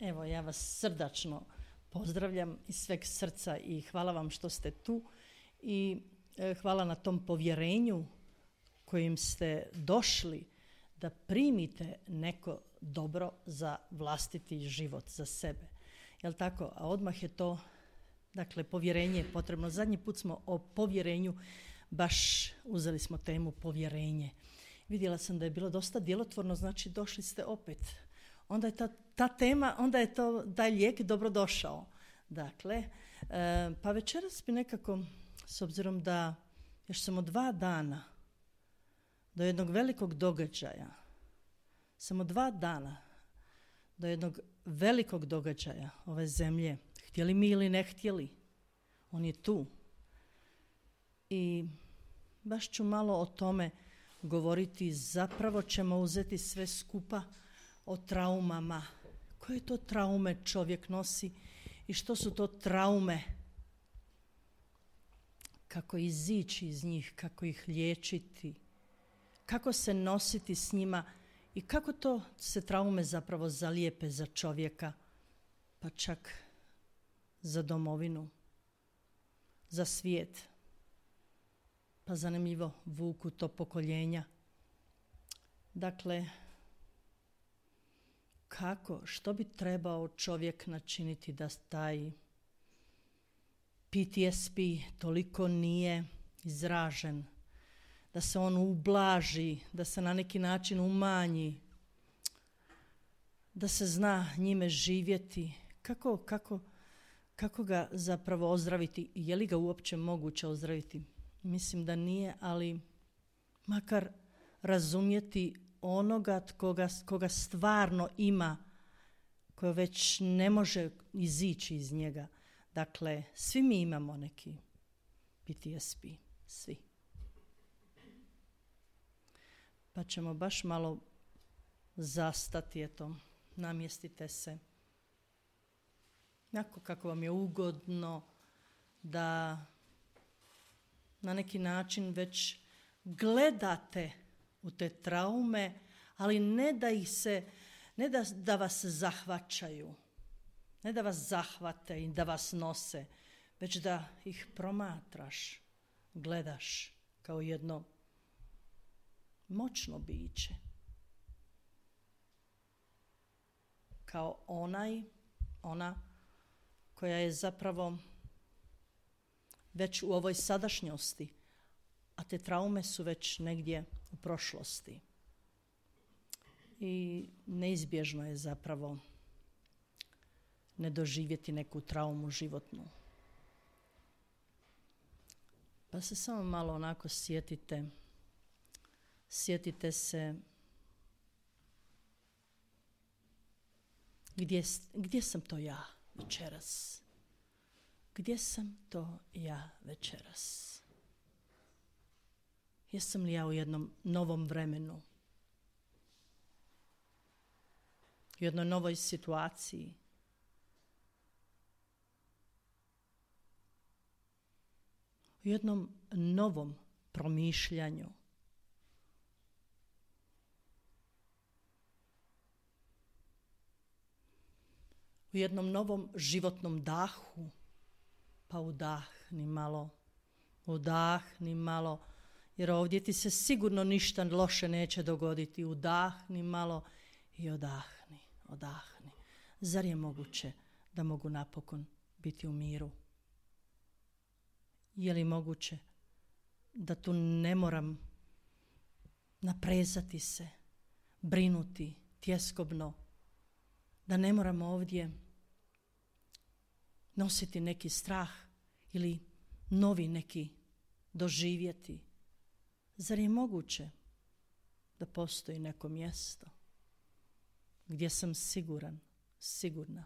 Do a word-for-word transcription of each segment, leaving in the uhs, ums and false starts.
Evo, ja vas srdačno pozdravljam iz sveg srca i hvala vam što ste tu i e, hvala na tom povjerenju kojim ste došli da primite neko dobro za vlastiti život, za sebe. Jel tako? A odmah je to, dakle, povjerenje je potrebno. Zadnji put smo o povjerenju, baš uzeli smo temu povjerenje. Vidjela sam da je bilo dosta djelotvorno, znači došli ste opet. Onda je ta, ta tema, onda je to, taj lijek dobro došao. Dakle, e, pa večeras bi nekako, s obzirom da još samo dva dana do jednog velikog događaja, samo dva dana do jednog velikog događaja ove zemlje, htjeli mi ili ne htjeli, on je tu. I baš ću malo o tome govoriti, zapravo ćemo uzeti sve skupa o traumama. Koje to traume čovjek nosi i što su to traume? Kako izići iz njih, kako ih liječiti, kako se nositi s njima i kako to se traume zapravo zalijepe za čovjeka, pa čak za domovinu, za svijet. Pa zanimljivo vuku to pokoljenja. Dakle, kako, što bi trebao čovjek načiniti da taj P T S P toliko nije izražen, da se on ublaži, da se na neki način umanji, da se zna njime živjeti, kako, kako, kako ga zapravo ozdraviti, je li ga uopće moguće ozdraviti? Mislim da nije, ali makar razumjeti onoga koga, koga stvarno ima, koji već ne može izići iz njega. Dakle, svi mi imamo neki P T S P, svi. Pa ćemo baš malo zastati, eto, namjestite se. Onako kako vam je ugodno da na neki način već gledate u te traume, ali ne da ih se, ne da, da vas zahvaćaju, ne da vas zahvate i da vas nose, već da ih promatraš, gledaš kao jedno moćno biće. Kao onaj, ona koja je zapravo već u ovoj sadašnjosti, a te traume su već negdje u prošlosti. I neizbježno je zapravo ne doživjeti neku traumu životnu. Pa se samo malo onako sjetite, sjetite se gdje, gdje sam to ja večeras? Gdje sam to ja večeras? Jesam li ja u jednom novom vremenu? U jednoj novoj situaciji? U jednom novom promišljanju? U jednom novom životnom dahu? Pa udahni malo, udahni malo, jer ovdje ti se sigurno ništa loše neće dogoditi. Udahni malo i odahni, odahni. Zar je moguće da mogu napokon biti u miru? Je li moguće da tu ne moram naprezati se, brinuti tjeskobno, da ne moram ovdje nositi neki strah ili novi neki doživjeti? Zar je moguće da postoji neko mjesto gdje sam siguran, sigurna?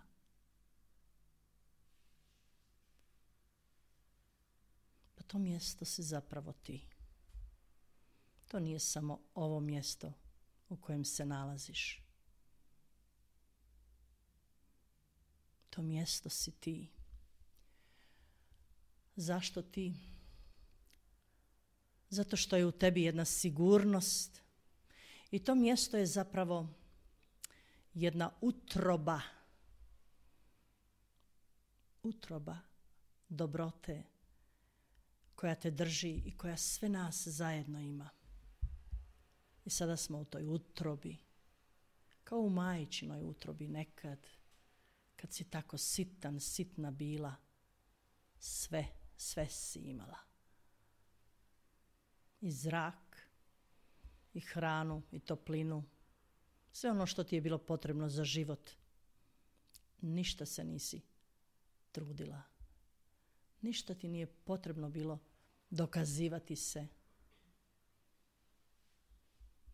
Pa to mjesto si zapravo ti. To nije samo ovo mjesto u kojem se nalaziš. To mjesto si ti. Zašto ti? Zato što je u tebi jedna sigurnost i to mjesto je zapravo jedna utroba utroba dobrote koja te drži i koja sve nas zajedno ima. I sada smo u toj utrobi, kao u majčinoj utrobi nekad, kad si tako sitan, sitna bila, sve, sve si imala. I zrak, i hranu, i toplinu, sve ono što ti je bilo potrebno za život. Ništa se nisi trudila. Ništa ti nije potrebno bilo dokazivati se.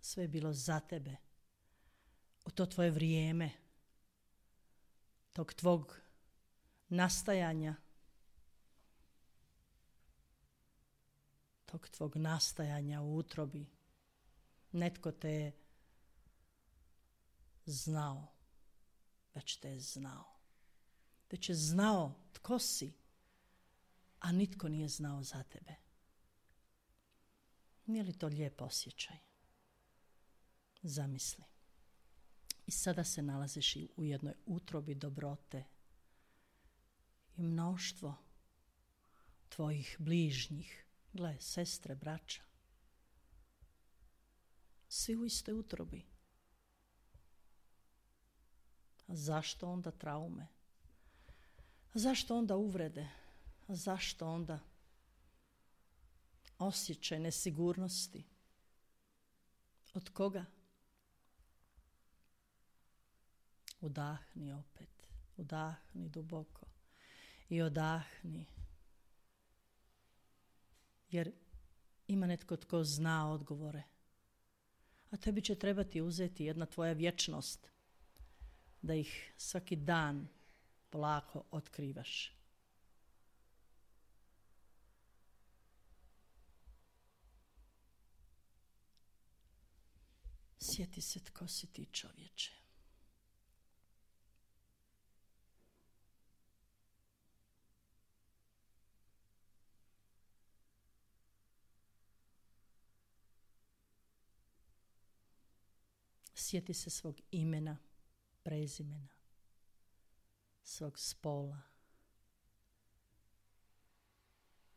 Sve je bilo za tebe. U to tvoje vrijeme, tog tvog nastajanja, tog tvog nastajanja u utrobi, netko te je znao, već te je znao. Već je znao tko si, a nitko nije znao za tebe. Nije li to lijep osjećaj? Zamisli. I sada se nalaziš i u jednoj utrobi dobrote i mnoštvo tvojih bližnjih, gle, sestre, braća, svi u istoj utrobi. A zašto onda traume? A zašto onda uvrede? A zašto onda osjećaj nesigurnosti? Od koga? Udahni opet, udahni duboko i odahni. Jer ima netko tko zna odgovore. A tebi će trebati uzeti jedna tvoja vječnost da ih svaki dan polako otkrivaš. Sjeti se tko si ti, čovječe. Sjeti se svog imena, prezimena, svog spola,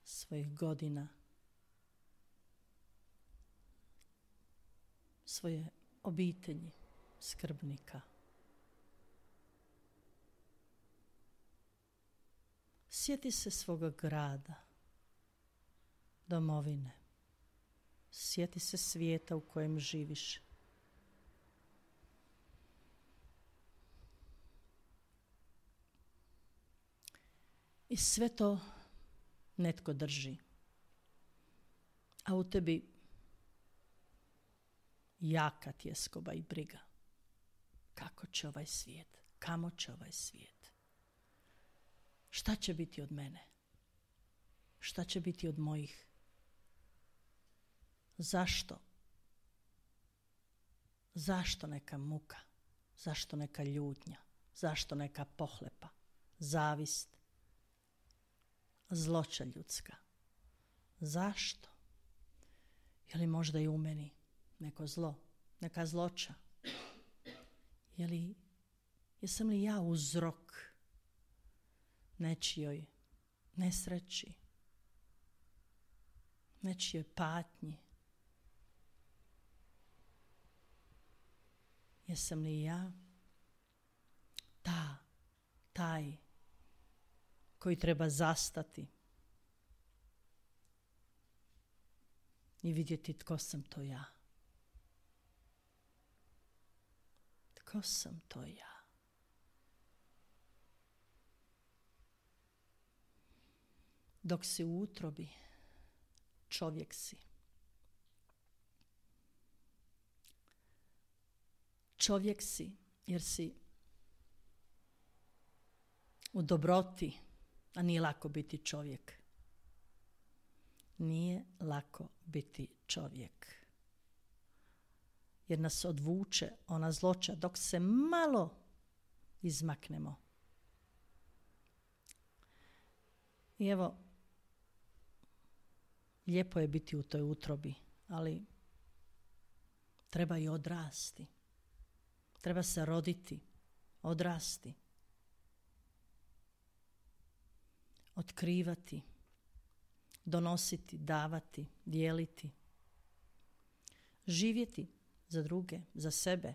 svojih godina, svoje obitelji, skrbnika. Sjeti se svoga grada, domovine. Sjeti se svijeta u kojem živiš. I sve to netko drži. A u tebi jaka tjeskoba i briga. Kako će ovaj svijet? Kamo će ovaj svijet? Šta će biti od mene? Šta će biti od mojih? Zašto? Zašto neka muka? Zašto neka ljutnja? Zašto neka pohlepa? Zavist? Zloća ljudska. Zašto? Je li možda i u meni neko zlo, neka zloća? Je li, jesam li ja uzrok nečijoj nesreći, nečijoj patnji? Jesam li ja ta, taj koji treba zastati i vidjeti tko sam to ja? Tko sam to ja? Dok si u utrobi, čovjek si. Čovjek si jer si u dobroti, a nije lako biti čovjek. Nije lako biti čovjek. Jer nas odvuče ona zloća dok se malo izmaknemo. I evo, lijepo je biti u toj utrobi, ali treba i odrasti. Treba se roditi, odrasti. otkrivati, donositi, davati, dijeliti, živjeti za druge, za sebe,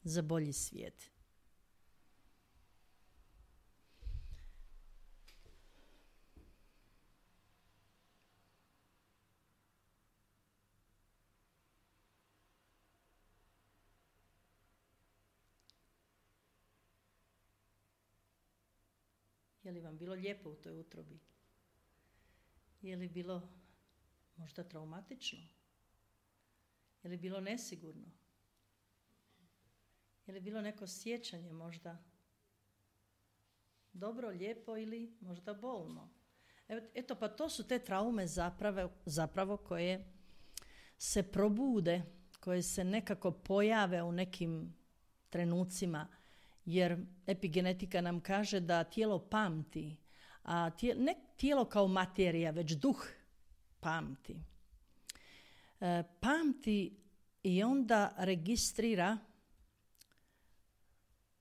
za bolji svijet. Je li vam bilo lijepo u toj utrobi? Je li bilo možda traumatično? Je li bilo nesigurno? Je li bilo neko sjećanje možda dobro, lijepo ili možda bolno? Eto, pa to su te traume zapravo, zapravo koje se probude, koje se nekako pojave u nekim trenucima, jer epigenetika nam kaže da tijelo pamti, a tijelo, ne tijelo kao materija, već duh pamti. E, pamti i onda registrira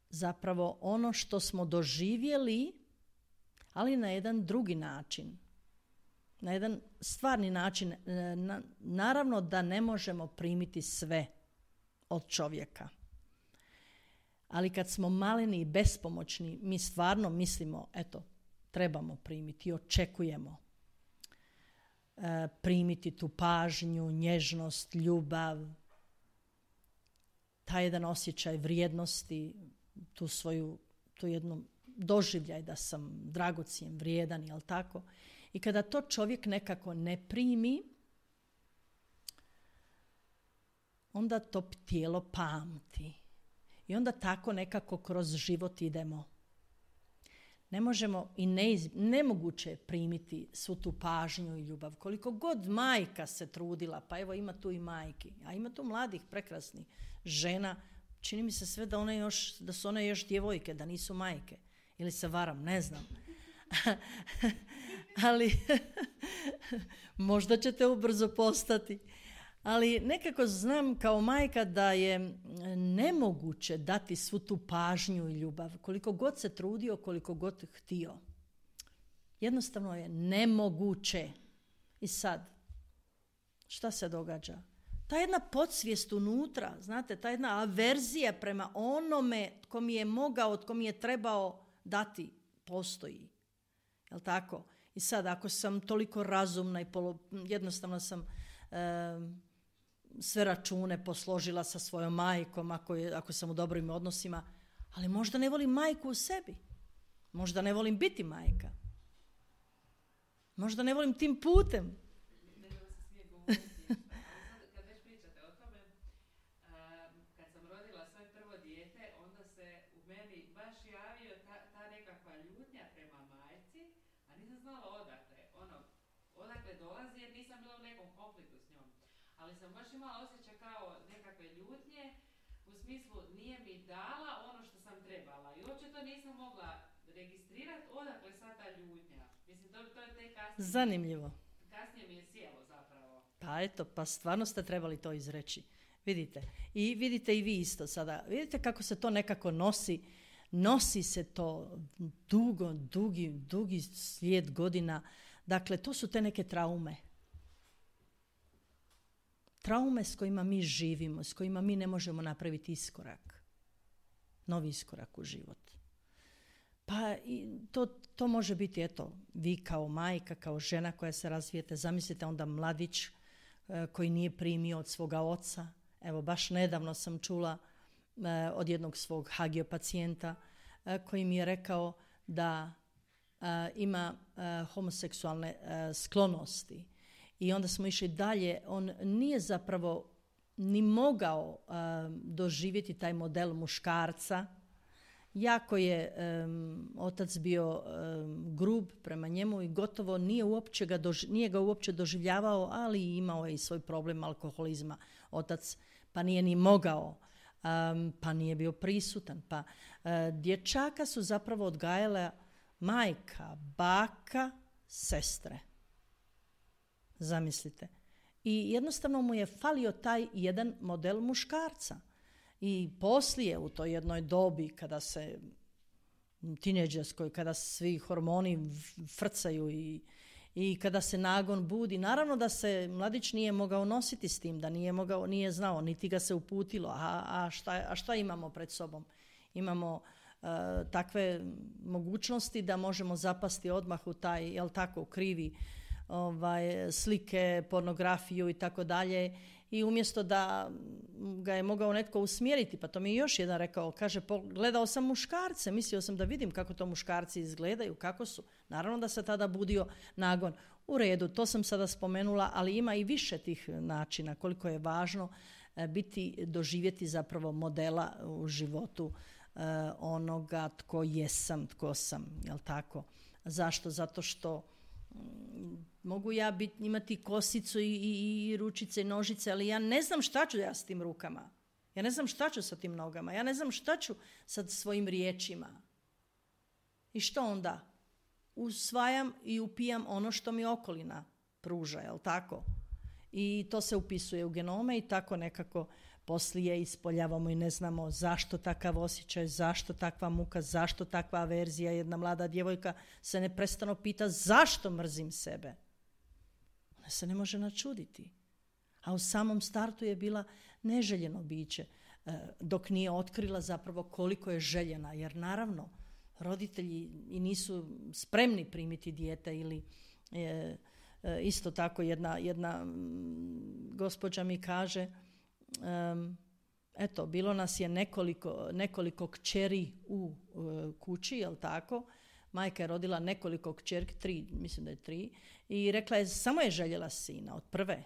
zapravo ono što smo doživjeli, ali na jedan drugi način. Na jedan stvarni način. Na, naravno da ne možemo primiti sve od čovjeka. Ali kad smo maleni i bespomoćni, mi stvarno mislimo, eto, trebamo primiti i očekujemo e, primiti tu pažnju, nježnost, ljubav, taj jedan osjećaj vrijednosti, tu svoju, tu jednu doživljaj da sam dragocjen, vrijedan, jel tako? I kada to čovjek nekako ne primi, onda to tijelo pamti. I onda tako nekako kroz život idemo. Ne možemo i ne, nemoguće je primiti svu tu pažnju i ljubav. Koliko god majka se trudila, pa evo ima tu i majki, a ima tu mladih, prekrasnih žena, čini mi se sve da, one još, da su one još djevojke, da nisu majke. Ili se varam, ne znam. Ali možda ćete ubrzo postati. Ali nekako znam kao majka da je nemoguće dati svu tu pažnju i ljubav, koliko god se trudio, koliko god htio. Jednostavno je nemoguće. I sad, šta se događa? Ta jedna podsvijest unutra, znate, ta jedna averzija prema onome tko mi je mogao, tko mi je trebao dati, postoji. Jel' tako? I sad, ako sam toliko razumna i polo, jednostavno sam e, sve račune posložila sa svojom majkom, ako, je, ako sam u dobrim odnosima, ali možda ne volim majku u sebi. Možda ne volim biti majka. Možda ne volim tim putem. Kad već pričate o tome, kad sam rodila svoje prvo dijete, onda se u meni baš javio ta, ta nekakva ljutnja prema majci, a nisam znala odakle. Ono, odakle dolazi jer nisam bila u nekom konfliktu s njom. Ali sam baš imala osjećaj kao nekakve ljutnje, u smislu nije mi dala ono što sam trebala. I uopće to nisam mogla registrirati odakle sad ta ljutnja. Mislim, to, to je te kasnije. Zanimljivo. Kasnije mi je sjelo zapravo. Pa eto, pa stvarno ste trebali to izreći. Vidite. I vidite i vi isto sada. Vidite kako se to nekako nosi. Nosi se to dugo, dugi, dugi slijed godina. Dakle, to su te neke traume. Traume s kojima mi živimo, s kojima mi ne možemo napraviti iskorak. Novi iskorak u život. Pa i to, to može biti, eto, vi kao majka, kao žena koja se razvijete, zamislite onda mladić e, koji nije primio od svoga oca. Evo, baš nedavno sam čula e, od jednog svog hagio pacijenta e, koji mi je rekao da e, ima e, homoseksualne e, sklonosti. I onda smo išli dalje. On nije zapravo ni mogao e, doživjeti taj model muškarca. Jako je um, otac bio um, grub prema njemu i gotovo nije, uopće ga, doži- nije ga uopće doživljavao, ali imao je i svoj problem alkoholizma otac, pa nije ni mogao, um, pa nije bio prisutan. Pa uh, dječaka su zapravo odgajale majka, baka, sestre. Zamislite. I jednostavno mu je falio taj jedan model muškarca. I poslije u toj jednoj dobi kada se tinejdžerskoj, kada svi hormoni frcaju i, i kada se nagon budi. Naravno da se mladić nije mogao nositi s tim, da nije, mogao, nije znao, niti ga se uputilo. A, a, šta, a šta imamo pred sobom? Imamo uh, takve mogućnosti da možemo zapasti odmah u taj, jel tako, krivi ovaj, slike, pornografiju i tako dalje. I umjesto da ga je mogao netko usmjeriti, pa to mi je još jedan rekao, kaže, gledao sam muškarce, mislio sam da vidim kako to muškarci izgledaju, kako su. Naravno da se tada budio nagon. U redu, to sam sada spomenula, ali ima i više tih načina, koliko je važno biti, doživjeti zapravo modela u životu onoga tko jesam, tko sam, jel tako? Zašto? Zato što mogu ja bit, imati kosicu i, i, i ručice i nožice, ali ja ne znam šta ću ja s tim rukama. Ja ne znam šta ću sa tim nogama. Ja ne znam šta ću sa svojim riječima. I što onda? Usvajam i upijam ono što mi okolina pruža, jel tako? I to se upisuje u genome i tako nekako poslije ispoljavamo i ne znamo zašto takav osjećaj, zašto takva muka, zašto takva averzija. Jedna mlada djevojka se neprestano pita zašto mrzim sebe. Ona se ne može načuditi. A u samom startu je bila neželjeno biće, dok nije otkrila zapravo koliko je željena. Jer naravno, roditelji i nisu spremni primiti dijete ili... Je, isto tako jedna, jedna gospođa mi kaže, um, eto, bilo nas je nekoliko, nekoliko kćeri u uh, kući, jel tako? Majka je rodila nekoliko kćerki, tri, mislim da je tri, i rekla je, samo je željela sina od prve.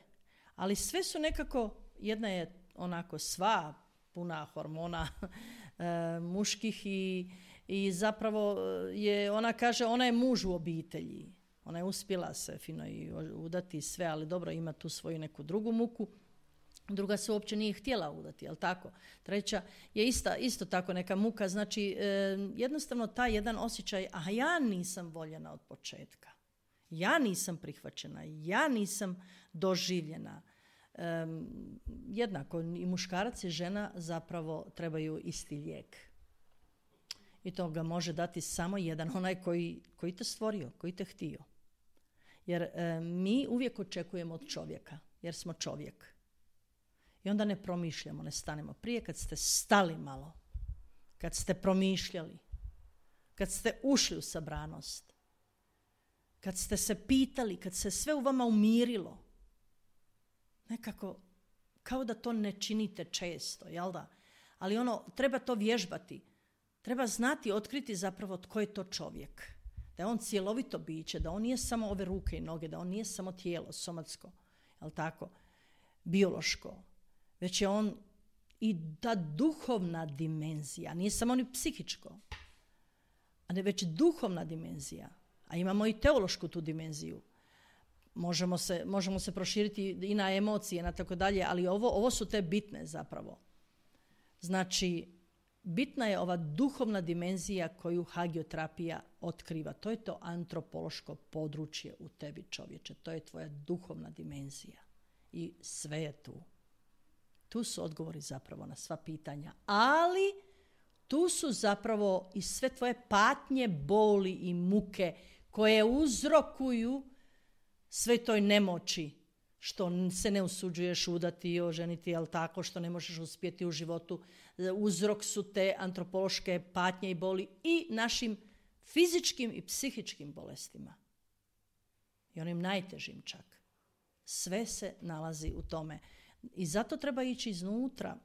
Ali sve su nekako, jedna je onako sva puna hormona uh, muških i, i zapravo je, ona kaže, ona je muž u obitelji. Ona je uspjela se fino i udati sve, ali dobro, ima tu svoju neku drugu muku. Druga se uopće nije htjela udati, jel tako? Treća je ista, isto tako neka muka. Znači, e, jednostavno taj jedan osjećaj, a ja nisam voljena od početka. Ja nisam prihvaćena, ja nisam doživljena. E, jednako i muškarac i žena zapravo trebaju isti lijek. I to ga može dati samo jedan, onaj koji, koji te stvorio, koji te htio. Jer e, mi uvijek očekujemo od čovjeka, jer smo čovjek. I onda ne promišljamo, ne stanemo. Prije kad ste stali malo, kad ste promišljali, kad ste ušli u sabranost, kad ste se pitali, kad se sve u vama umirilo, nekako kao da to ne činite često, jel da? Ali ono, treba to vježbati. Treba znati, otkriti zapravo tko je to čovjek. Da je on cjelovito biće, da on nije samo ove ruke i noge, da on nije samo tijelo, somatsko, jel tako, biološko, već je on i ta duhovna dimenzija, nije samo ni psihičko, a ne već duhovna dimenzija. A imamo i teološku tu dimenziju. Možemo se, možemo se proširiti i na emocije, na tako dalje, ali ovo, ovo su te bitne zapravo. Znači, bitna je ova duhovna dimenzija koju hagioterapija otkriva. To je to antropološko područje u tebi, čovječe. To je tvoja duhovna dimenzija. I sve je tu. Tu su odgovori zapravo na sva pitanja. Ali tu su zapravo i sve tvoje patnje, boli i muke koje uzrokuju sve toj nemoći što se ne usuđuješ udati i oženiti, jel tako, što ne možeš uspjeti u životu. Uzrok su te antropološke patnje i boli i našim fizičkim i psihičkim bolestima. I onim najtežim čak. Sve se nalazi u tome. I zato treba ići iznutra.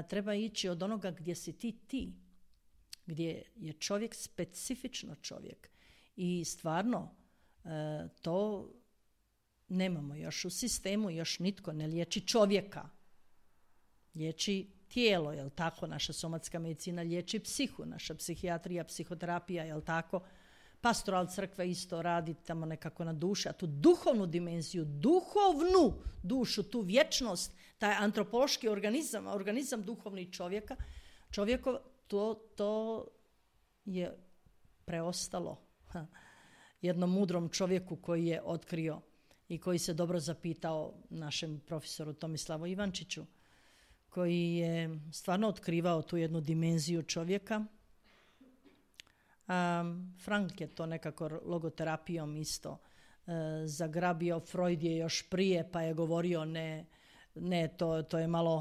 Treba ići od onoga gdje si ti ti. Gdje je čovjek specifično čovjek. I stvarno to nemamo još u sistemu, još nitko ne liječi čovjeka. Liječi tijelo, jel tako? Naša somatska medicina liječi psihu, naša psihijatrija, psihoterapija, jel tako? Pastoral crkve isto radi tamo nekako na duši, a tu duhovnu dimenziju, duhovnu dušu, tu vječnost, taj antropološki organizam, organizam duhovni čovjeka, čovjekov, to, to je preostalo ha, jednom mudrom čovjeku koji je otkrio i koji se dobro zapitao našem profesoru Tomislavu Ivančiću, koji je stvarno otkrivao tu jednu dimenziju čovjeka, Um, Frank je to nekako logoterapijom isto uh, zagrabio. Freud je još prije pa je govorio ne, ne to, to je malo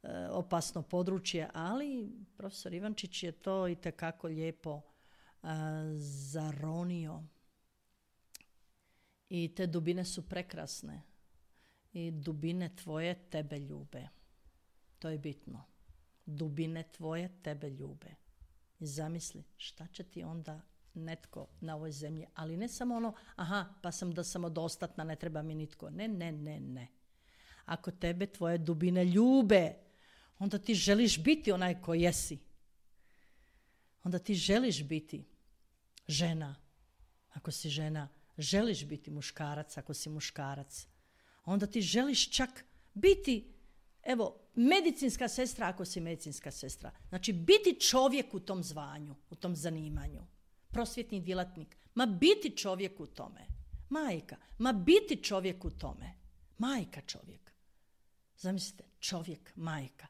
uh, opasno područje, ali profesor Ivančić je to itekako lijepo uh, zaronio. I te dubine su prekrasne. I dubine tvoje tebe ljube. To je bitno. Dubine tvoje tebe ljube. I zamisli šta će ti onda netko na ovoj zemlji. Ali ne samo ono, aha, pa sam da samodostatna, ne treba mi nitko. Ne, ne, ne, ne. Ako tebe tvoje dubine ljube, onda ti želiš biti onaj ko jesi. Onda ti želiš biti žena. Ako si žena, želiš biti muškarac ako si muškarac. Onda ti želiš čak biti, evo, medicinska sestra ako si medicinska sestra. Znači, biti čovjek u tom zvanju, u tom zanimanju. Prosvjetni djelatnik. Ma biti čovjek u tome. Majka. Ma biti čovjek u tome. Majka čovjek. Zamislite, čovjek, majka.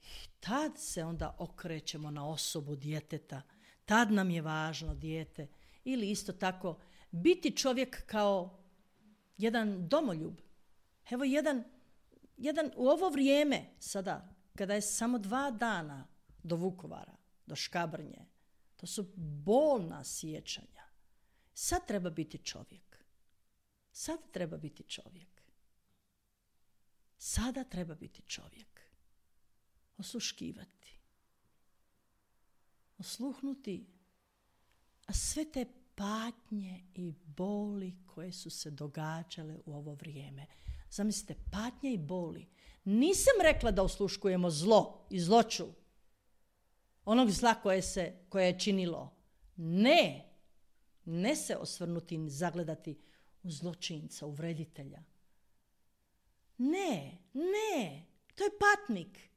I tad se onda okrećemo na osobu djeteta. Tad nam je važno dijete. Ili isto tako, biti čovjek kao jedan domoljub. Evo jedan, jedan u ovo vrijeme sada, kada je samo dva dana do Vukovara, do Škabrnje, to su bolna sjećanja. Sad treba biti čovjek. Sad treba biti čovjek. Sada treba biti čovjek. Osluškivati. Osluhnuti, a sve te patnje i boli koje su se događale u ovo vrijeme. Zamislite, patnje i boli. Nisam rekla da osluškujemo zlo i zloću. Onog zla koje, se, koje je činilo. Ne. Ne se osvrnuti i zagledati u zločinca, u vreditelja. Ne, ne. To je patnik.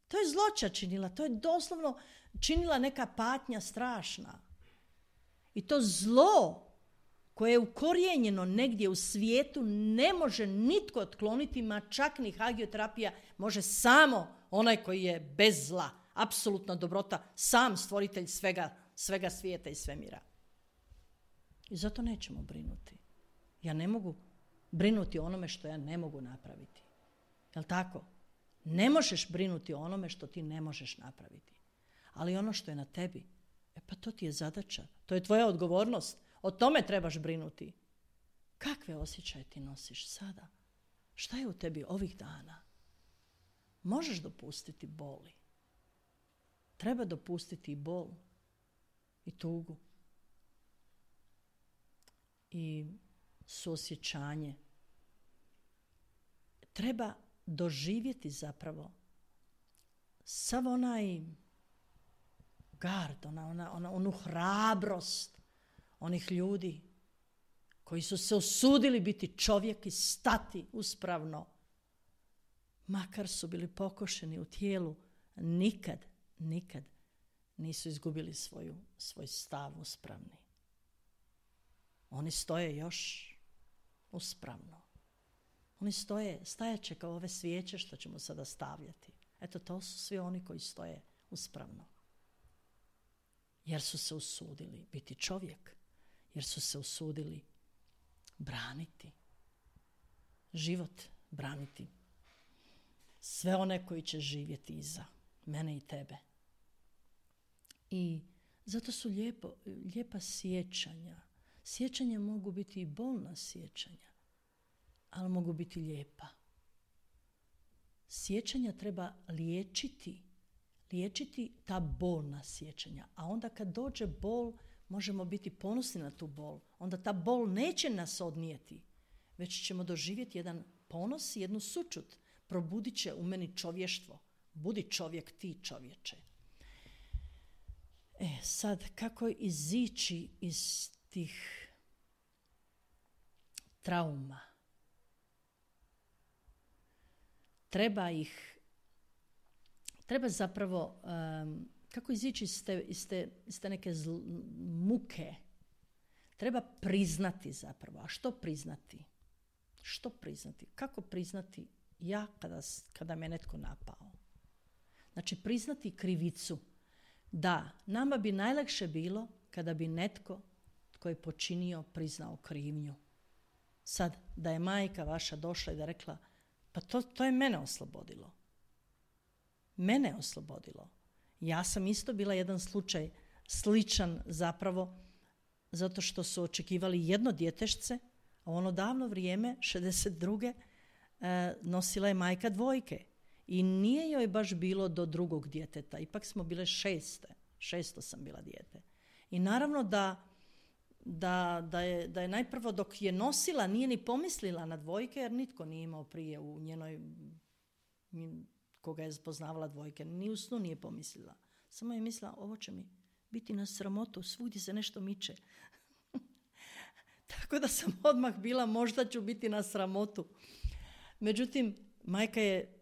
To je zloća činila. To je doslovno činila neka patnja strašna. I to zlo koje je ukorijenjeno negdje u svijetu ne može nitko otkloniti, ma čak ni hagioterapija, može samo onaj koji je bez zla, apsolutna dobrota, sam stvoritelj svega, svega svijeta i svemira. I zato nećemo brinuti. Ja ne mogu brinuti o onome što ja ne mogu napraviti. Jel' tako? Ne možeš brinuti o onome što ti ne možeš napraviti. Ali ono što je na tebi, e pa to ti je zadaća. To je tvoja odgovornost. O tome trebaš brinuti. Kakve osjećaje ti nosiš sada? Šta je u tebi ovih dana? Možeš dopustiti boli. Treba dopustiti i bol. I tugu. I suosjećanje. Treba doživjeti zapravo sav onaj gard, ona, ona, ona, onu hrabrost onih ljudi koji su se usudili biti čovjek i stati uspravno. Makar su bili pokošeni u tijelu, nikad, nikad nisu izgubili svoju, svoj stav uspravni. Oni stoje još uspravno. Oni stoje, stajaće kao ove svijeće što ćemo sada stavljati. Eto, to su svi oni koji stoje uspravno. Jer su se usudili biti čovjek. Jer su se usudili braniti život, braniti sve one koji će živjeti iza mene i tebe. I zato su lijepo, lijepa sjećanja. Sjećanja mogu biti i bolna sjećanja, ali mogu biti lijepa. Sjećanja treba liječiti, liječiti ta bolna sjećanja. A onda kad dođe bol, možemo biti ponosni na tu bol. Onda ta bol neće nas odnijeti, već ćemo doživjeti jedan ponos i jednu sućut. Probudit će u meni čovještvo. Budi čovjek ti, čovječe. E, sad, kako izići iz tih trauma? Treba ih, treba zapravo, um, kako izići iz te, iz te, iz te neke zl, muke? Treba priznati zapravo. A što priznati? Što priznati? Kako priznati ja kada, kada me netko napao? Znači, priznati krivicu. Da, nama bi najlakše bilo kada bi netko tko je počinio priznao krivnju. Sad, da je majka vaša došla i da rekla, pa to, to je mene oslobodilo. Mene oslobodilo. Ja sam isto bila jedan slučaj sličan zapravo zato što su očekivali jedno djetešce, a u ono davno vrijeme, šezdeset druge E, nosila je majka dvojke. I nije joj baš bilo do drugog djeteta. Ipak smo bile šeste. Šesto sam bila dijete. I naravno da, da, da, je, da je najprvo dok je nosila nije ni pomislila na dvojke jer nitko nije imao prije u njenoj koga je poznavala dvojke. Ni u snu nije pomislila. Samo je mislila ovo će mi biti na sramotu. Svugdje se nešto miče. Tako da sam odmah bila možda ću biti na sramotu. Međutim, majka je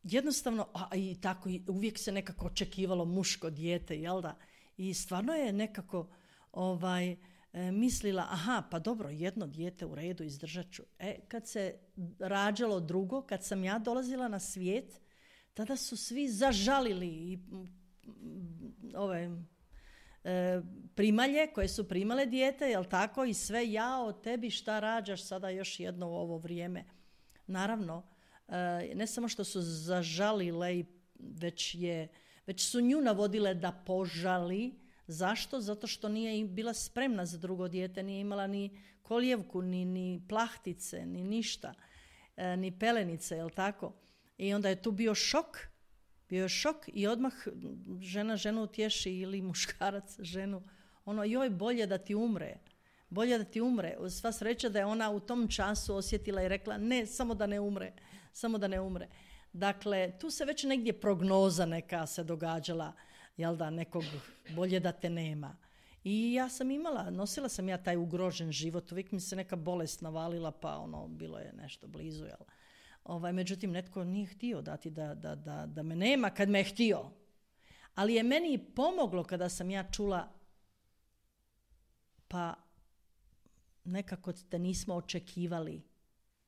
jednostavno, a i tako, uvijek se nekako očekivalo muško dijete, jel da? I stvarno je nekako ovaj, e, mislila, aha, pa dobro, jedno dijete u redu, izdržat ću. E, kad se rađalo drugo, kad sam ja dolazila na svijet, tada su svi zažalili i ove e, primalje koje su primale dijete, jel tako? I sve, jao, tebi šta rađaš sada još jedno u ovo vrijeme. Naravno, ne samo što su zažalile, već, je, već su nju navodile da požali. Zašto? Zato što nije bila spremna za drugo dijete, nije imala ni kolijevku, ni, ni plahtice, ni ništa, ni pelenice, jel tako? I onda je tu bio šok, bio je šok i odmah žena ženu utješi ili muškarac ženu. Ono, joj, bolje da ti umre. Bolje da ti umre. Sva sreća da je ona u tom času osjetila i rekla ne, samo da ne umre. Samo da ne umre. Dakle, tu se već negdje prognoza neka se događala, jel da, nekog bolje da te nema. I ja sam imala, nosila sam ja taj ugrožen život, uvijek mi se neka bolest navalila, pa ono, bilo je nešto blizu, jel. Ovaj, međutim, netko nije htio dati da, da, da, da me nema kad me je htio. Ali je meni pomoglo kada sam ja čula, pa nekako te nismo očekivali.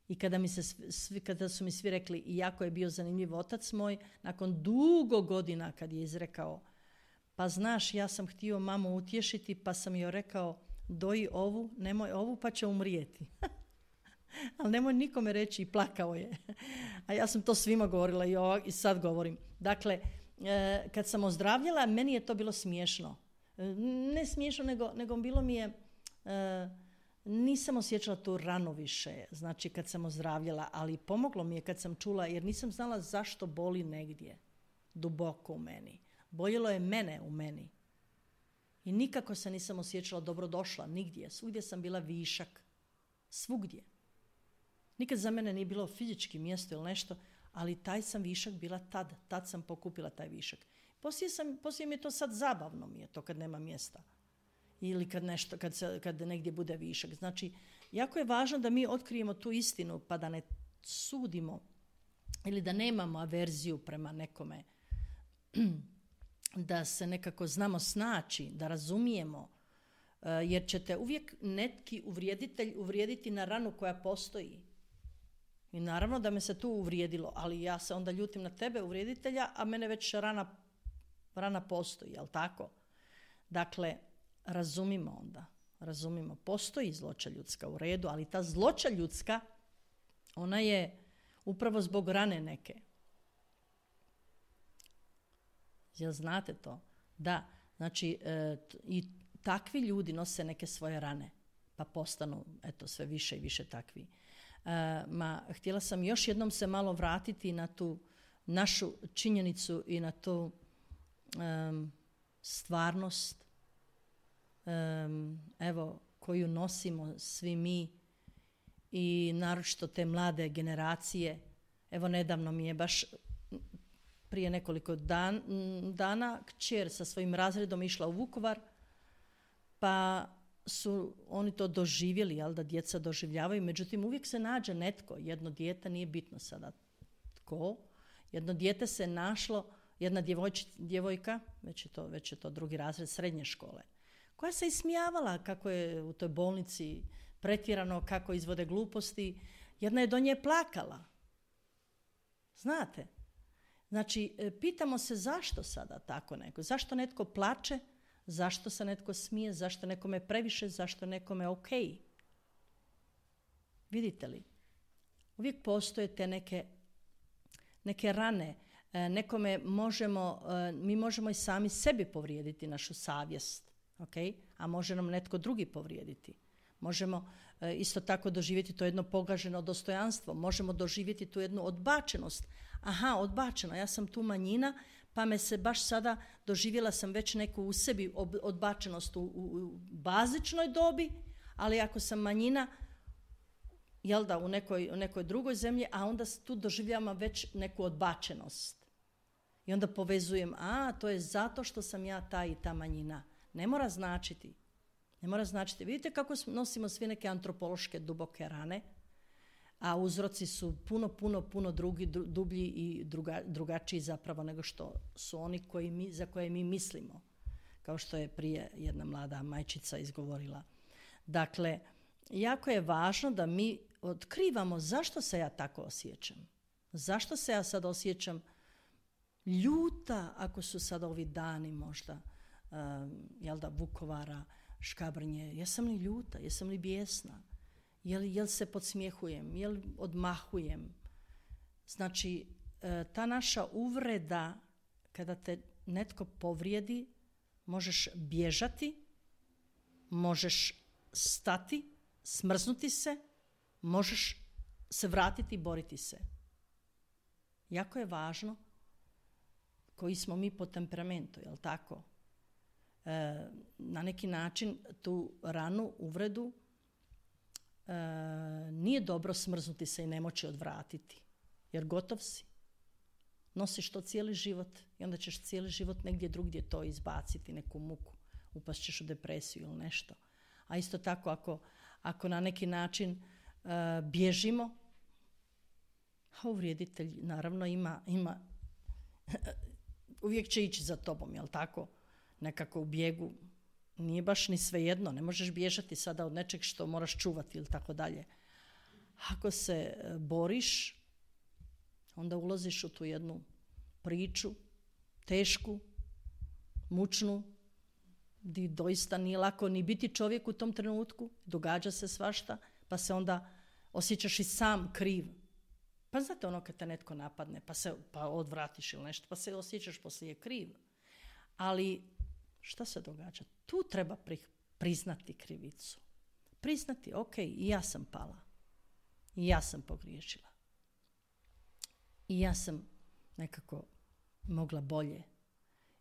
I kada, mi se svi, kada su mi svi rekli, i jako je bio zanimljiv otac moj, nakon dugo godina kad je izrekao, pa znaš, ja sam htio mamu utješiti, pa sam joj rekao, doji ovu, nemoj ovu, pa će umrijeti. Ali nemoj nikome reći, i plakao je. A ja sam to svima govorila i, ovak, i sad govorim. Dakle, e, kad sam ozdravljala, meni je to bilo smiješno. E, ne smiješno, nego, nego bilo mi je... E, nisam osjećala tu ranu više, znači kad sam ozdravljala, ali pomoglo mi je kad sam čula, jer nisam znala zašto boli negdje, duboko u meni. Boljelo je mene u meni. I nikako se nisam osjećala dobrodošla, nigdje. Svugdje sam bila višak. Svugdje. Nikad za mene nije bilo fizički mjesto ili nešto, ali taj sam višak bila tad. Tad sam pokupila taj višak. Poslije, sam, poslije mi je to sad zabavno mi je to kad nema mjesta. Ili kad, nešto, kad, se, kad negdje bude višak. Znači, jako je važno da mi otkrijemo tu istinu pa da ne sudimo ili da nemamo averziju prema nekome. Da se nekako znamo snaći, da razumijemo. Jer ćete uvijek neki uvrijeditelj uvrijediti na ranu koja postoji. I naravno da me se tu uvrijedilo, ali ja se onda ljutim na tebe, uvrijeditelja, a mene već rana, rana postoji, jel tako? Dakle, razumimo onda, razumimo. Postoji zloća ljudska u redu, ali ta zloća ljudska, ona je upravo zbog rane neke. Jel znate to? Da, znači e, t- i takvi ljudi nose neke svoje rane, pa postanu, eto, sve više i više takvi. E, ma, htjela sam još jednom se malo vratiti na tu našu činjenicu i na tu um, stvarnost, um, evo, koju nosimo svi mi i naročito te mlade generacije. Evo, nedavno mi je baš prije nekoliko dan, dana kćer sa svojim razredom išla u Vukovar, pa su oni to doživjeli, jel da djeca doživljavaju, međutim uvijek se nađe netko, jedno dijete, nije bitno sada tko, jedno dijete se našlo, jedna djevojč, djevojka, već je, to, već je to drugi razred srednje škole, koja se ismijavala kako je u toj bolnici pretjerano, kako izvode gluposti, jedna je do nje plakala. Znate? Znači, pitamo se zašto sada tako neko, zašto netko plače, Zašto se netko smije, zašto nekome previše, zašto nekome ok. Vidite li? Uvijek postoje te neke, neke rane. E, nekome možemo, e, mi možemo i sami sebi povrijediti našu savjest. Okay? A može nam netko drugi povrijediti. Možemo e, isto tako doživjeti to jedno pogaženo dostojanstvo. Možemo doživjeti tu jednu odbačenost. Aha, odbačena, ja sam tu manjina, pa me se baš sada, doživjela sam već neku u sebi odbačenost u, u, u bazičnoj dobi, ali ako sam manjina, jel da, u nekoj, u nekoj drugoj zemlji, a onda tu doživljavam već neku odbačenost. I onda povezujem, a, to je zato što sam ja ta i ta manjina. Ne mora značiti. Ne mora značiti. Vidite kako nosimo svi neke antropološke duboke rane, a uzroci su puno, puno, puno drugi, dublji i druga, drugačiji zapravo nego što su oni koji mi, za koje mi mislimo. Kao što je prije jedna mlada majčica izgovorila. Dakle, jako je važno da mi otkrivamo zašto se ja tako osjećam. Zašto se ja sad osjećam ljuta ako su sad ovi dani možda um, jel da, Vukovara, Škabrnje. Jesam li ljuta? Jesam li bijesna? Jel, jel se podsmjehujem? Jel odmahujem? Znači, ta naša uvreda, kada te netko povrijedi, možeš bježati, možeš stati, smrznuti se, možeš se vratiti i boriti se. Jako je važno koji smo mi po temperamentu, jel tako? E, na neki način tu ranu, uvredu, e, nije dobro smrznuti se i ne moći odvratiti, jer gotov si. Nosiš to cijeli život i onda ćeš cijeli život negdje drugdje to izbaciti, neku muku, upast ćeš u depresiju ili nešto. A isto tako ako, ako na neki način uh, bježimo, a uvrijeditelj naravno ima, ima uvijek će ići za tobom, jel tako? Nekako u bijegu nije baš ni svejedno, ne možeš bježati sada od nečeg što moraš čuvati ili tako dalje. Ako se boriš, onda ulaziš u tu jednu priču, tešku, mučnu, gdje doista nije lako ni biti čovjek u tom trenutku, događa se svašta, pa se onda osjećaš i sam kriv. Pa znate ono kad te netko napadne, pa se pa odvratiš ili nešto, pa se osjećaš poslije kriv. Ali šta se događa? Tu treba pri, priznati krivicu. Priznati, ok, i ja sam pala. I ja sam pogriješila. I ja sam nekako mogla bolje.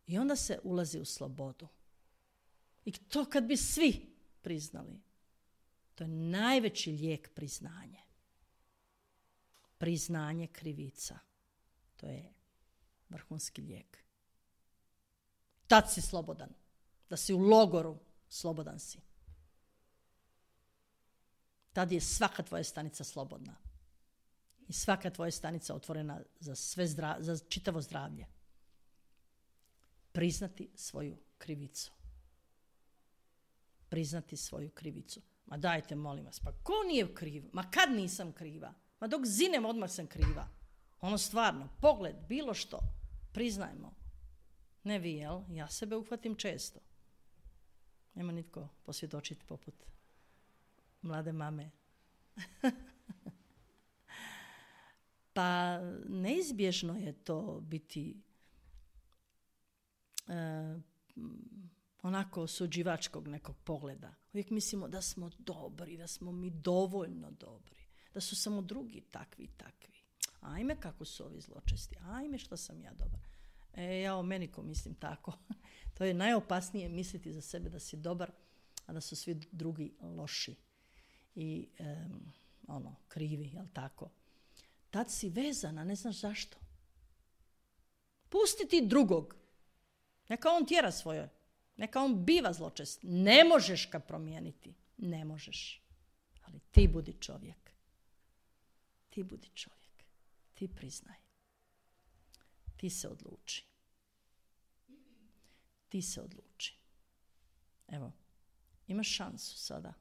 I onda se ulazi u slobodu. I to kad bi svi priznali, to je najveći lijek priznanje. Priznanje krivica. To je vrhunski lijek. Tad si slobodan. Da si u logoru, slobodan si. Tad je svaka tvoja stanica slobodna. I svaka tvoja stanica otvorena za, sve zdra, za čitavo zdravlje. Priznati svoju krivicu. Priznati svoju krivicu. Ma dajte, molim vas, pa ko nije kriv? Ma kad nisam kriva? Ma dok zinem odmah sam kriva. Ono stvarno, pogled, bilo što. Priznajmo. Ne vi, jel? Ja sebe uhvatim često. Nema nitko posvjedočiti poput mlade mame. Pa neizbježno je to biti e, onako osuđivačkog nekog pogleda. Uvijek mislimo da smo dobri, da smo mi dovoljno dobri, da su samo drugi takvi i takvi. Ajme kako su ovi zločesti, ajme što sam ja dobar. E, ja o meni ko mislim tako. To je najopasnije misliti za sebe da si dobar, a da su svi drugi loši i um, ono, krivi, jel tako? Tad si vezana, ne znaš zašto. Pusti ti drugog. Neka on tjera svoje. Neka on biva zločest. Ne možeš ga promijeniti. Ne možeš. Ali ti budi čovjek. Ti budi čovjek. Ti priznaj. Ti se odluči. Ti se odluči. Evo, imaš šansu sada.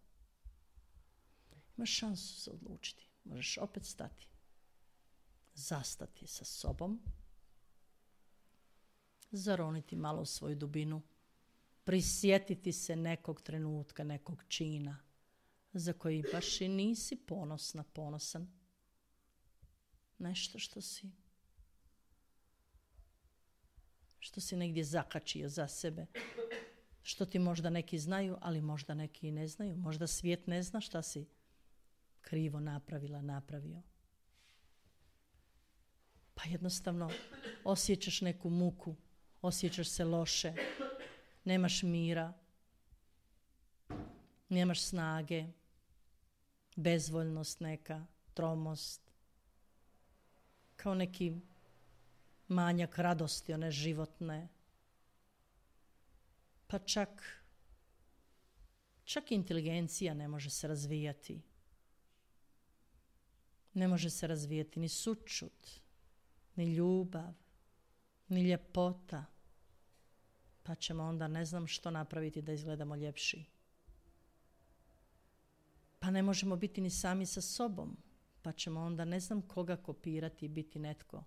Imaš šansu se odlučiti. Možeš opet stati. Zastati sa sobom. Zaroniti malo u svoju dubinu. prisjetiti se nekog trenutka, nekog čina za koji baš i nisi ponosna, ponosan. Nešto što si što si negdje zakačio za sebe. Što ti možda neki znaju, ali možda neki i ne znaju. Možda svijet ne zna šta si krivo napravila, napravio. Pa jednostavno osjećaš neku muku, osjećaš se loše, nemaš mira, nemaš snage, bezvoljnost neka, tromost, kao neki manjak radosti, one životne. Pa čak, čak inteligencija ne može se razvijati. Ne može se razvijati ni sućut, ni ljubav, ni ljepota. Pa ćemo onda ne znam što napraviti da izgledamo ljepši. Pa ne možemo biti ni sami sa sobom. Pa ćemo onda ne znam koga kopirati i biti netko.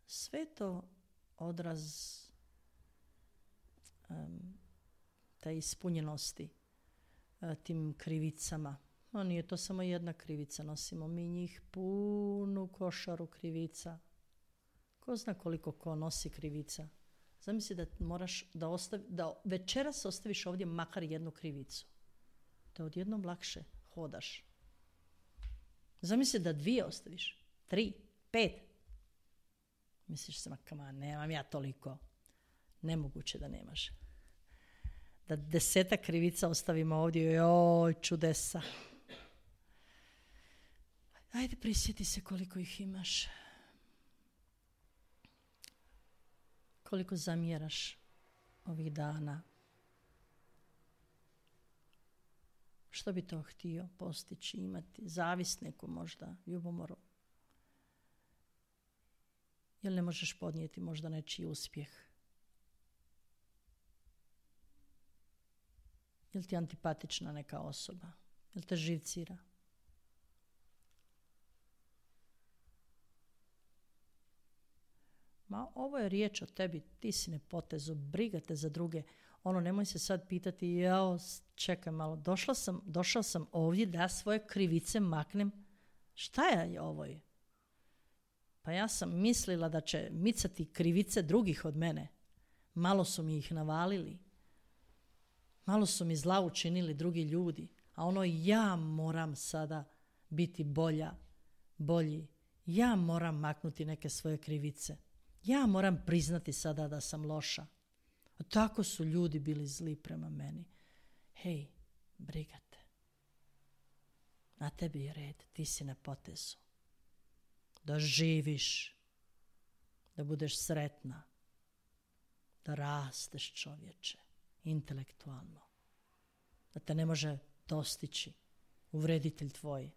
Sve to odraz um, te ispunjenosti uh, tim krivicama. No, nije to samo jedna krivica, nosimo mi njih punu košaru krivica. Ko zna koliko ko nosi krivica. Zamisli da moraš da, ostavi, da večeras ostaviš ovdje makar jednu krivicu. Da odjednom lakše hodaš. Zamisli da dvije ostaviš, tri, pet. Misliš se, ma nemam ja toliko. Nemoguće da nemaš. Da desetak krivica ostavimo ovdje, joj, čudesa. Ajde, prisjeti se koliko ih imaš. Koliko zamjeraš ovih dana. Što bi to htio postići, imati? Zavist neku možda, ljubomoru. Jel ne možeš podnijeti možda nečiji uspjeh? Jel ti antipatična neka osoba? Jel te živcira? Ma ovo je riječ o tebi, ti si nepotezu, briga te za druge. Ono, nemoj se sad pitati, jao, čekaj malo, došla sam, došao sam ovdje da svoje krivice maknem. Šta je ovo? Pa ja sam mislila da će micati krivice drugih od mene. Malo su mi ih navalili. Malo su mi zla učinili drugi ljudi. A ono, ja moram sada biti bolja, bolji. Ja moram maknuti neke svoje krivice. Ja moram priznati sada da sam loša. A tako su ljudi bili zli prema meni. Hej, briga te. Na tebi je red, ti si na potezu. Da živiš, da budeš sretna, da rasteš čovječe, intelektualno. Da te ne može dostići uvreditelj tvoj.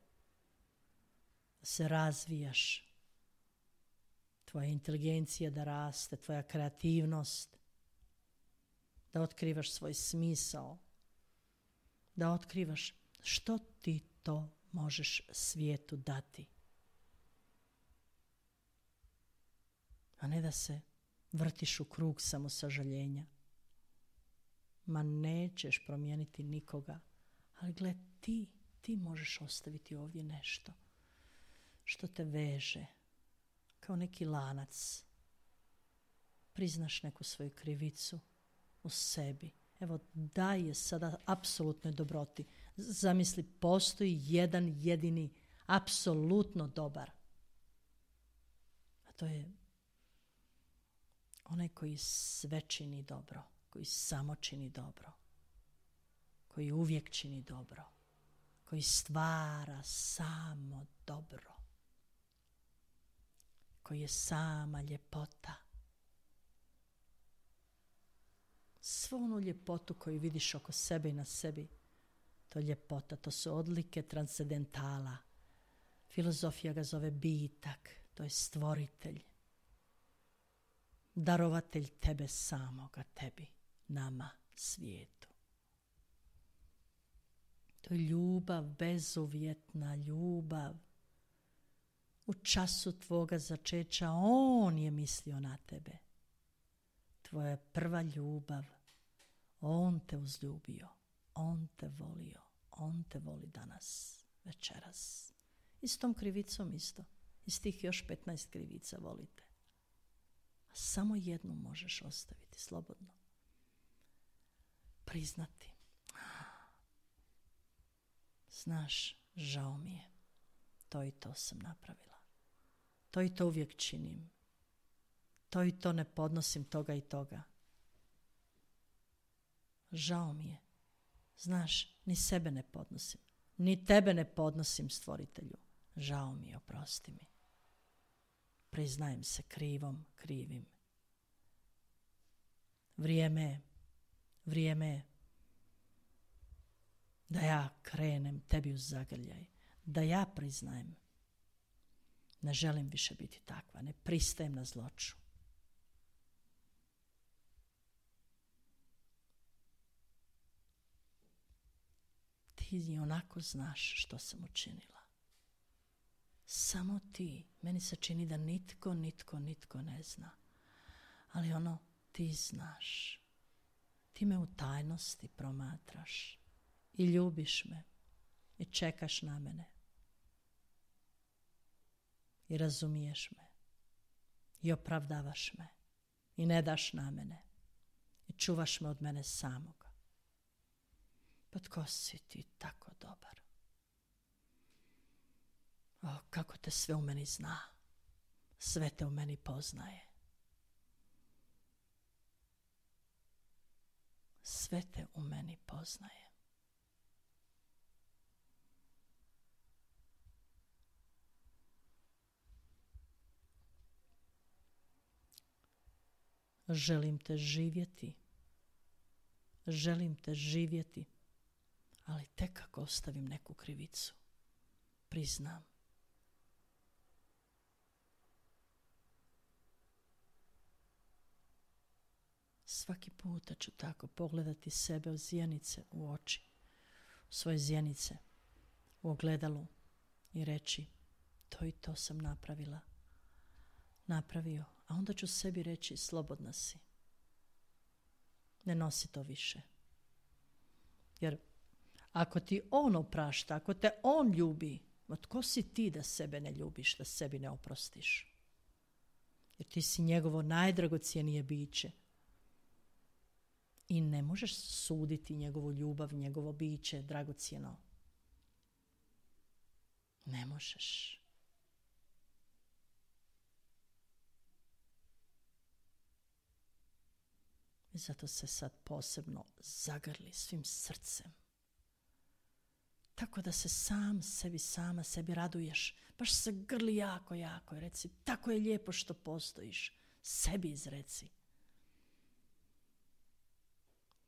Da se razvijaš. Tvoja inteligencija da raste, tvoja kreativnost, da otkrivaš svoj smisao, da otkrivaš što ti to možeš svijetu dati. A ne da se vrtiš u krug samosažaljenja. Ma nećeš promijeniti nikoga, ali gle, ti, ti možeš ostaviti ovdje nešto što te veže. Kao neki lanac. Priznaš neku svoju krivicu u sebi. Evo, daj je sada apsolutnoj dobroti. Zamisli, postoji jedan jedini, apsolutno dobar. A to je onaj koji sve čini dobro, koji samo čini dobro, koji uvijek čini dobro, koji stvara samo dobro, koji je sama ljepota. Svu onu ljepotu koju vidiš oko sebe i na sebi, to je ljepota, to su odlike transcendentala. Filozofija ga zove bitak, to je stvoritelj, darovatelj tebe samoga, tebi, nama, svijetu. To je ljubav, bezuvjetna ljubav. U času tvoga začeća on je mislio na tebe. Tvoja prva ljubav, On te uzljubio, on te volio, on te voli danas, večeras. I s tom krivicom isto. Iz tih još petnaest krivica volite. A samo jednu možeš ostaviti slobodno. Priznati. Znaš, žao mi je. To i to sam napravila. To i to uvijek činim. To i to ne podnosim toga i toga. Žao mi je. Znaš, ni sebe ne podnosim. Ni tebe ne podnosim, stvoritelju. Žao mi je, oprosti mi. Priznajem se krivom, krivim. Vrijeme je, vrijeme je da ja krenem tebi uz zagrljaj. Da ja priznajem. Ne želim više biti takva. Ne pristajem na zloču. Ti onako znaš što sam učinila. Samo ti. Meni se čini da nitko, nitko, nitko ne zna. Ali ono, ti znaš. Ti me u tajnosti promatraš. I ljubiš me. I čekaš na mene. I razumiješ me. I opravdavaš me. I ne daš na mene. I čuvaš me od mene samoga. Pa tko si ti tako dobar? O, kako te sve u meni zna. Sve te u meni poznaje. Sve te u meni poznaje. Želim te živjeti. Želim te živjeti. Ali tek ako ostavim neku krivicu. Priznam. Svaki puta ću tako pogledati sebe u zjenice, u oči, u svoje zjenice, u ogledalu i reći to i to sam napravila. Napravio, a onda ću sebi reći slobodna si. Ne nosi to više. Jer ako ti on oprašta, ako te on ljubi, ma tko si ti da sebe ne ljubiš, da sebi ne oprostiš? Jer ti si njegovo najdragocjenije biće. I ne možeš suditi njegovu ljubav, njegovo biće dragocjeno. Ne možeš. I zato se sad posebno zagrli svim srcem. Tako da se sam sebi, sama sebi raduješ. Baš se grli jako, jako. I reci, tako je lijepo što postojiš. Sebi izreci.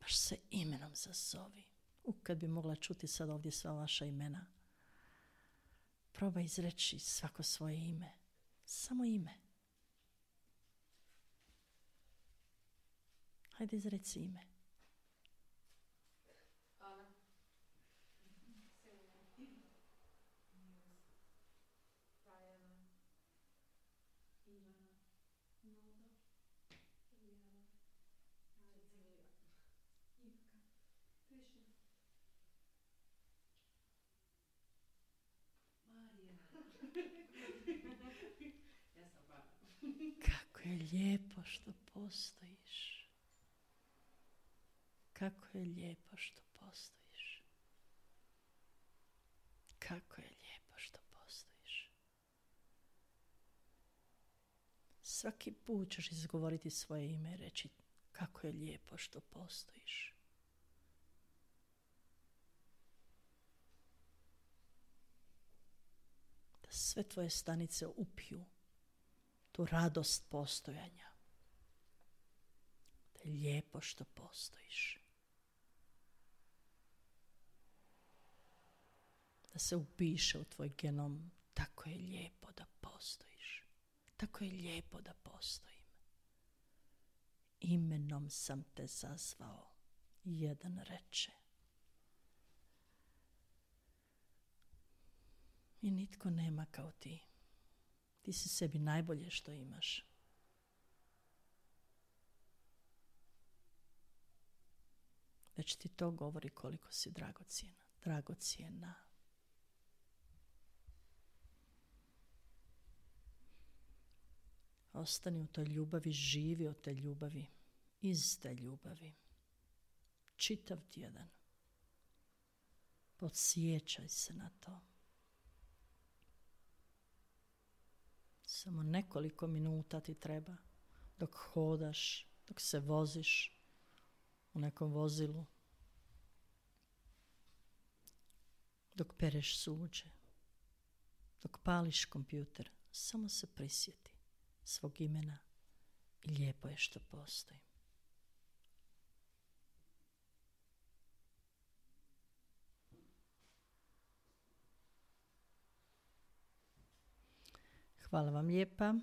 Baš se imenom zazovi. U, kad bi mogla čuti sad ovdje sva vaša imena. Probaj izreći svako svoje ime. Samo ime. Hajde izreci ime. Ana. Tajana. Ivana. Nodo. Iljana. Cecilija. Ivka. Krišna. Marija. Ja sam Bana. Kako je lijepo što postojiš. Kako je lijepo što postojiš. Kako je lijepo što postojiš. Svaki put ćeš izgovoriti svoje ime i reći kako je lijepo što postojiš. Da sve tvoje stanice upiju tu radost postojanja. Da je lijepo što postojiš. Da se upiše u tvoj genom, tako je lijepo da postojiš. Tako je lijepo da postojim. Imenom sam te zazvao, jedan reče. I nitko nema kao ti. Ti si sebi najbolje što imaš. već ti to govori koliko si dragocjena, dragocjena. Ostani u toj ljubavi, živi od te ljubavi, iz te ljubavi. Čitav tjedan. Podsjećaj se na to. Samo nekoliko minuta ti treba dok hodaš, dok se voziš u nekom vozilu, dok pereš suđe, dok pališ kompjuter. Samo se prisjeti svog imena i lijepo je što postoji. Hvala vam lijepa.